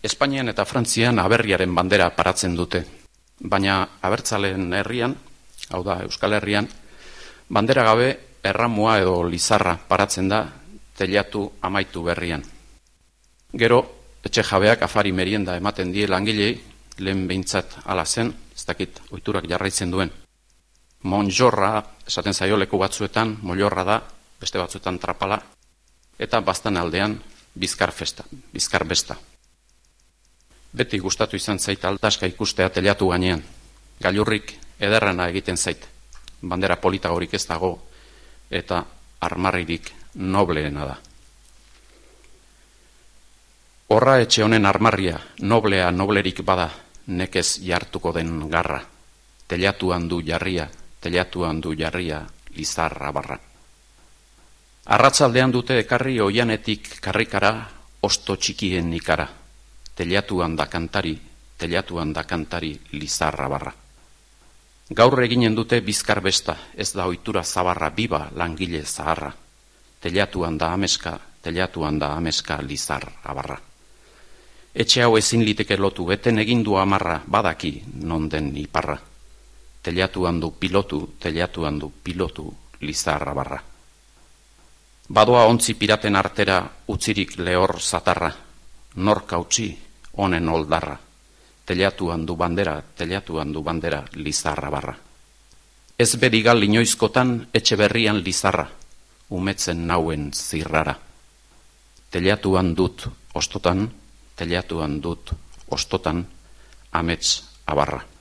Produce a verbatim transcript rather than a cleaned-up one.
Espainian eta Frantzian aberriaren bandera paratzen dute, baina abertzaleen herrian, hau da Euskal Herrian, bandera gabe erramua edo lizarra paratzen da teilatu amaitu berrian. Gero, etxe jabeak afari merienda ematen die langilei, lehen behintzat ala zen, ez dakit ohiturak jarraitzen duen. Monjorra, esaten zaio leku batzuetan, mollorra da, beste batzuetan trapala, eta baztan aldean bizkar festa, bizkar besta. Beti gustatu izan zait altaska ikustea teilatu gainean. Gailurrik ederrena egiten zait. Bandera polita horik ez dago eta armarririk nobleena da. Horra etxe honen armarria, noblea noblerik bada, nekez jartuko den garra. Teilatuan du jarria, teilatuan du jarria, lizarra barra. Arratzaldean dute ekarri oianetik karrikara, osto txikien ikara. Teilatuan da kantari, teilatuan da kantari, lizarra barra. Gaur eginen dute bizkar besta, ez da ohitura zabarra, biba langile zaharra. Teilatuan da ameska, teilatuan da ameska, lizarra barra. Etxe hau ezin liteke lotu, eten egindu amarra, badaki non den iparra. Teilatuan du pilotu, teilatuan du pilotu, lizarra barra. Badoa ontzi piraten artera, utzirik lehor zatarra. Norka utzi, honen oldarra. Teilatuan du bandera, teilatuan du bandera, lizarra barra. Ez berigal inoizkotan, etxe berrian lizarra, umetzen nauen zirrara. Teilatuan dut ostotan, teilatuan dut ostotan, amets abarra.